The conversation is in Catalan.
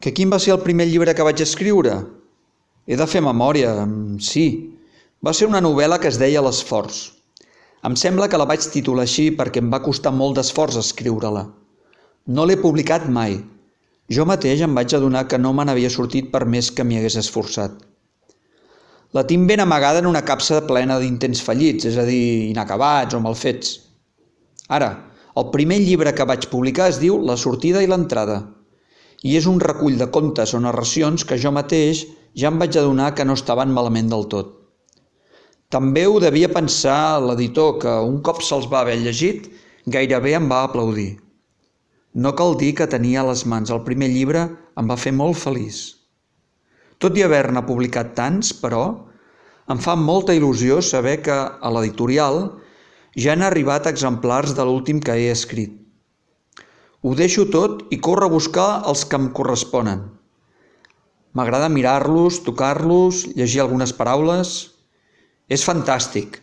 Que quin va ser el primer llibre que vaig escriure? He de fer memòria, sí. Va ser una novel·la que es deia L'esforç. Em sembla que la vaig titular així perquè em va costar molt d'esforç escriure-la. No l'he publicat mai. Jo mateix em vaig adonar que no me n'havia sortit per més que m'hi hagués esforçat. La tinc ben amagada en una capsa plena d'intents fallits, és a dir, inacabats o mal fets. Ara, el primer llibre que vaig publicar es diu La sortida i l'entrada, i és un recull de contes o narracions que jo mateix ja em vaig adonar que no estaven malament del tot. També ho devia pensar l'editor, que un cop se'ls va haver llegit, gairebé em va aplaudir. No cal dir que tenia a les mans el primer llibre em va fer molt feliç. Tot i haver-ne publicat tants, però, em fa molta il·lusió saber que a l'editorial ja han arribat exemplars de l'últim que he escrit. Ho deixo tot i corro a buscar els que em corresponen. M'agrada mirar-los, tocar-los, llegir algunes paraules. És fantàstic.